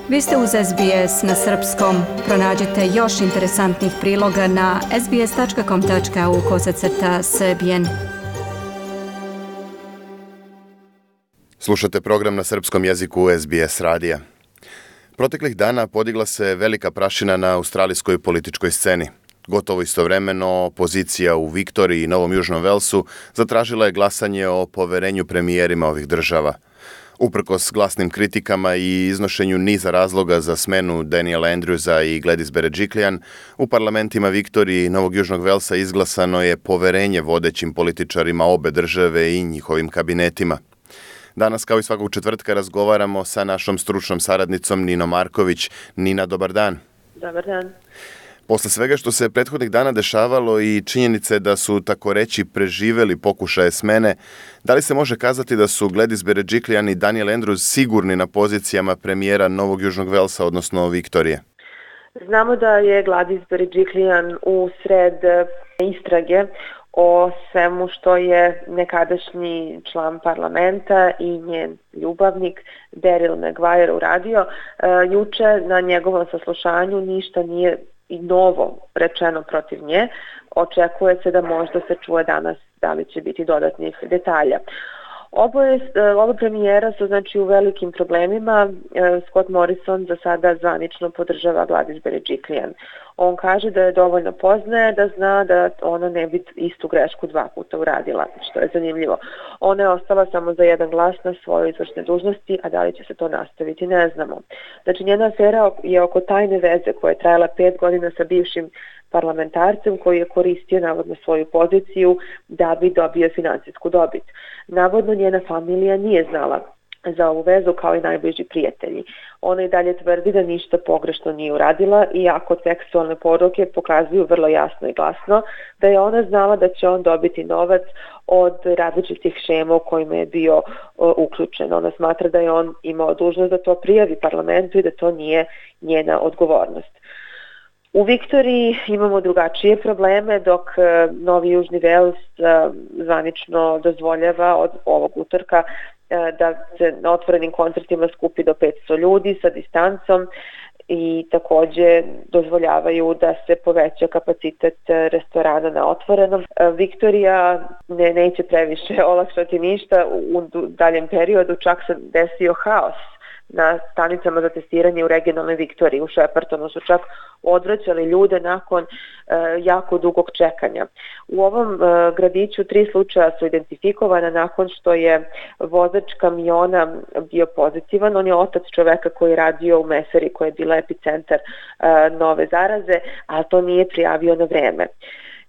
Vi ste uz SBS na srpskom. Pronađite još interesantnih priloga na sbs.com.au/srbijen. Slušate program na srpskom jeziku SBS radija. Proteklih dana podigla se velika prašina na australijskoj političkoj sceni. Gotovo istovremeno, opozicija u Viktoriji i Novom Južnom Velsu zatražila je glasanje o poverenju premijerima ovih država. Uprkos glasnim kritikama i iznošenju niza razloga za smenu Daniela Andrewsa i Gladys Berejiklian, u parlamentima Viktorije i Novog Južnog Velsa izglasano je poverenje vodećim političarima obe države i njihovim kabinetima. Danas, kao i svakog četvrtka, razgovaramo sa našom stručnom saradnicom Ninom Marković. Nina, dobar dan. Dobar dan. Posle svega što se prethodnih dana dešavalo i činjenice da su, tako reći, preživeli pokušaje smene, da li se može kazati da su Gladys Berejiklian i Daniel Andrews sigurni na pozicijama premijera Novog Južnog Velsa, odnosno Viktorije? Znamo da je Gladys Berejiklian u sred istrage o svemu što je nekadašnji član parlamenta i njen ljubavnik Daryl Maguire uradio. Juče na njegovom saslušanju ništa nije i novo rečeno protiv nje. Očekuje se da možda se čuje danas da li će biti dodatnih detalja. Oba premijera su znači u velikim problemima. Scott Morrison za sada zvanično podržava Gladys Berejiklian. On kaže da je dovoljno poznaje, da zna da ona ne bi istu grešku 2 puta uradila, što je zanimljivo. Ona je ostala samo za jedan glas na svojoj izvršnoj dužnosti, a da li će se to nastaviti, ne znamo. Znači, njena afera je oko tajne veze koja je trajala 5 godina sa bivšim parlamentarcem koji je koristio navodno svoju poziciju da bi dobio finansijsku dobit. Navodno njena familija nije znala za ovu vezu kao i najbliži prijatelji. Ona i dalje tvrdi da ništa pogrešno nije uradila, iako tekstualne poruke pokazuju vrlo jasno i glasno da je ona znala da će on dobiti novac od različitih šema u kojima je bio uključen. Ona smatra da je on imao dužnost da to prijavi parlamentu i da to nije njena odgovornost. U Viktoriji imamo drugačije probleme, dok Novi Južni Vels zvanično dozvoljava od ovog utorka da se na otvorenim koncertima skupi do 500 ljudi sa distancom i takođe dozvoljavaju da se poveća kapacitet restorana na otvorenom. Viktorija neće previše olakšati ništa u daljem periodu, čak se desio haos na stanicama za testiranje u regionalnoj Viktoriji. U Sheppartonu su čak odvraćali ljude nakon jako dugog čekanja. U ovom gradiću 3 slučaja su identifikovana nakon što je vozač kamiona bio pozitivan. On je otac čoveka koji je radio u Mesari, koja je bila epicentar nove zaraze, a to nije prijavio na vreme.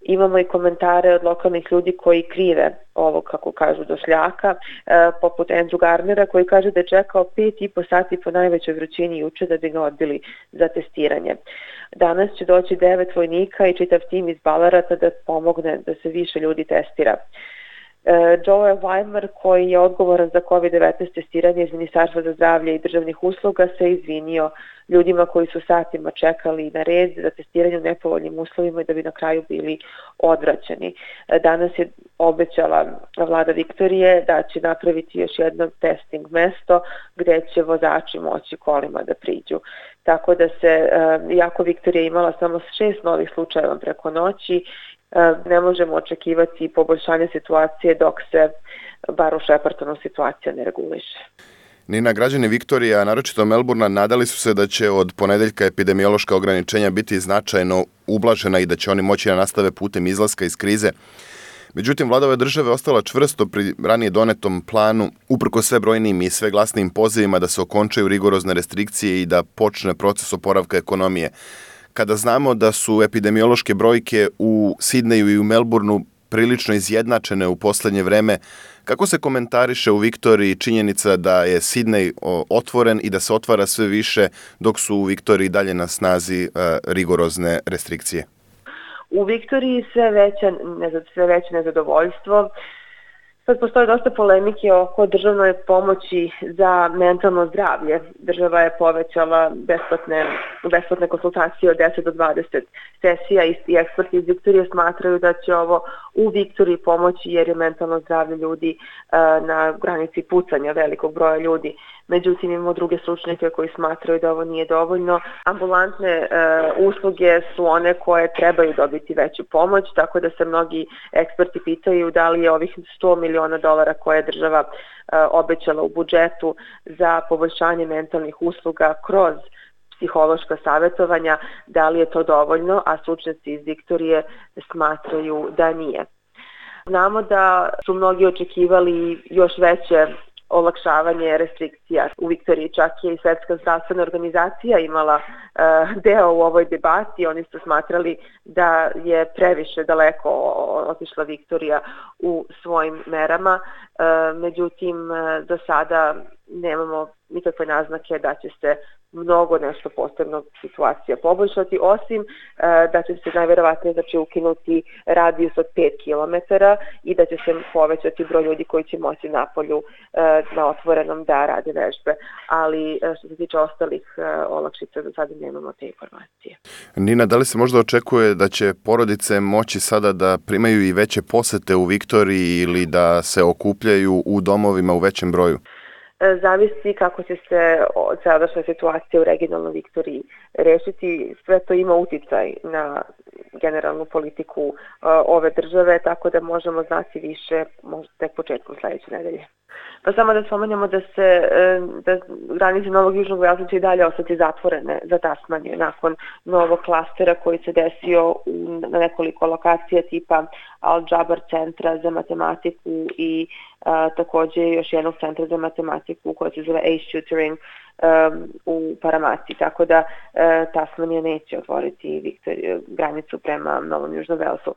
Imamo i komentare od lokalnih ljudi koji krive ovog, kako kažu, došljaka, poput Andrew Garnera koji kaže da je čekao 5,5 sati po najvećoj vrućini juče da bi ga odbili za testiranje. Danas će doći 9 vojnika i čitav tim iz Ballarata da pomogne da se više ljudi testira. Joe Weimer, koji je odgovoran za COVID-19 testiranje iz Ministarstva za zdravlje i državnih usluga, se izvinio ljudima koji su satima čekali na red za testiranje u nepovoljnim uslovima i da bi na kraju bili odvraćeni. Danas je obećala vlada Viktorije da će napraviti još jedno testing mesto gde će vozači moći kolima da priđu. Tako da se, iako Viktorija imala samo 6 novih slučajeva preko noći, ne možemo očekivati poboljšanje situacije dok se, bar u Sheppartonu, situacija ne reguliše. Nina, građani Viktorije, a naročito Melbourna, nadali su se da će od ponedeljka epidemiološka ograničenja biti značajno ublažena i da će oni moći da nastave putem izlaska iz krize. Međutim, vlada ove države ostala čvrsto pri ranije donetom planu, uprko sve brojnim i sve glasnijim pozivima da se okončaju rigorozne restrikcije i da počne proces oporavka ekonomije. Kada znamo da su epidemiološke brojke u Sidneju i u Melbourneu prilično izjednačene u poslednje vreme, kako se komentariše u Viktoriji činjenica da je Sidnej otvoren i da se otvara sve više, dok su u Viktoriji dalje na snazi rigorozne restrikcije? U Viktoriji sve veće nezadovoljstvo. Sad postoje dosta polemike oko državnoj pomoći za mentalno zdravlje. Država je povećala besplatne konsultacije od 10 do 20 sesija i eksperti iz Viktorije smatraju da će ovo u Viktoriji pomoći jer je mentalno zdravlje ljudi na granici pucanja velikog broja ljudi. Međutim, imamo druge stručnjake koji smatraju da ovo nije dovoljno. Ambulantne usluge su one koje trebaju dobiti veću pomoć, tako da se mnogi eksperti pitaju da li je ovih $100 miliona koje je država obećala u budžetu za poboljšanje mentalnih usluga kroz psihološka savjetovanja, da li je to dovoljno, a stručnjaci iz Viktorije smatraju da nije. Znamo da su mnogi očekivali još veće olakšavanje restrikcija. U Viktoriji čak je i Svetska zdravstvena organizacija imala deo u ovoj debati. Oni su smatrali da je previše daleko otišla Viktorija u svojim merama. Međutim, za sada nemamo nikakve naznake da će se mnogo nešto posebno situacija poboljšati, osim da će se najverovatnije ukinuti radijus od 5 km i da će se povećati broj ljudi koji će moći napolju na otvorenom da rade vežbe. Ali što se tiče ostalih olakšica, za sada nemamo te informacije. Nina, da li se možda očekuje da će porodice moći sada da primaju i veće posete u Viktoriji ili da se okupljaju u domovima u većem broju? Zavisi kako će se sadašnja situacija u regionalnoj Viktoriji rešiti. Sve to ima uticaj na generalnu politiku ove države, tako da možemo znati više možda tek početkom sledeće nedelje. Pa samo da spomenemo da granice Novog Južnog Velsa će i dalje ostati zatvorene za Tasmaniju nakon novog klastera koji se desio na nekoliko lokacija tipa Al-Jabar centra za matematiku i takođe još jednog centra za matematiku koja se zove Ace Tutoring u Paramati, tako da Tasmanija neće otvoriti granicu prema Novom Južnom Velsu.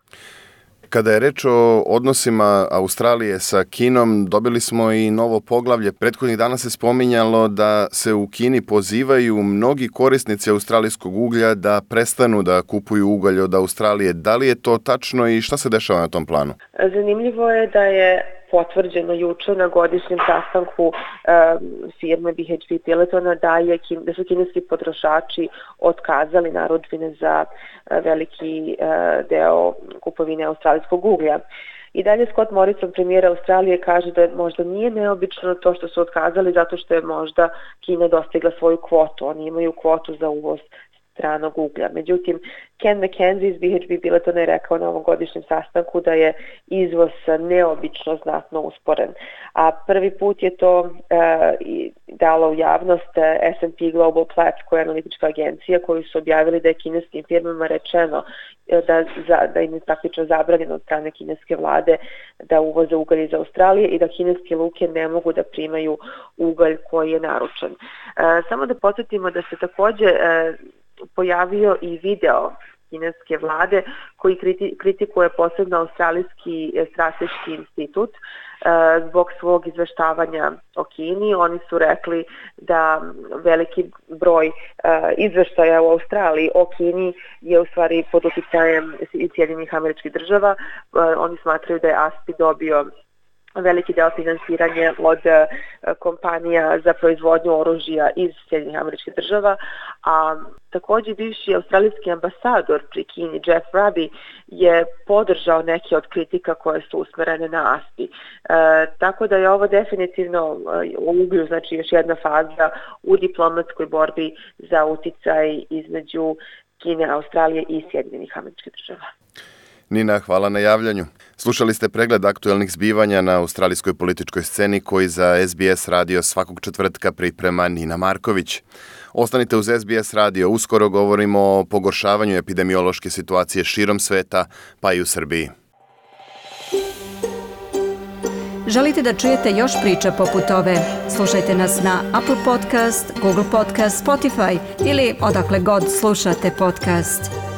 Kada je reč o odnosima Australije sa Kinom, dobili smo i novo poglavlje. Prethodnih dana se spominjalo da se u Kini pozivaju mnogi korisnici australijskog uglja da prestanu da kupuju ugalj od Australije. Da li je to tačno i šta se dešava na tom planu? Zanimljivo je da je potvrđeno juče na godišnjem sastanku firme BHP Billetona da su kineski potrošači otkazali narudžbine za veliki deo kupovine australijskog uglja. I dalje Scott Morrison, premijer Australije, kaže da možda nije neobično to što su otkazali zato što je možda Kina dostigla svoju kvotu. Oni imaju kvotu za uvoz stranog uglja. Međutim, Ken McKenzie iz BHP Billetona je rekao na ovom godišnjem sastanku da je izvoz neobično znatno usporen. A prvi put je to dala u javnost S&P Global Platts, koja je analitička agencija, koju su objavili da je kineskim firmama rečeno da im je praktično zabranjeno od strane kineske vlade da uvoze ugalj iz Australije i da kineske luke ne mogu da primaju ugalj koji je naručen. Samo da podsjetimo da se takođe pojavio i video kineske vlade koji kritikuje posebno Australijski strateški institut zbog svog izveštavanja o Kini. Oni su rekli da veliki broj izveštaja u Australiji o Kini je u stvari pod uticajem Sjedinjenih Američkih Država. Oni smatraju da je ASPI dobio veliki deo finansiranja od kompanija za proizvodnju oružja iz Sjedinjenih Američkih Država, a takođe bivši australijski ambasador pri Kini, Jeff Raby, je podržao neke od kritika koje su usmerene na ASPI. Tako da je ovo definitivno u uglju, znači još jedna faza u diplomatskoj borbi za uticaj između Kine, Australije i Sjedinjenih Američkih Država. Nina, hvala na javljanju. Slušali ste pregled aktuelnih zbivanja na australijskoj političkoj sceni koji za SBS radio svakog četvrtka priprema Nina Marković. Ostanite uz SBS radio, uskoro govorimo o pogoršavanju epidemiološke situacije širom sveta, pa i u Srbiji. Želite da čujete još priča poput ove? Slušajte nas na Apple Podcast, Google Podcast, Spotify ili odakle god slušate podcast.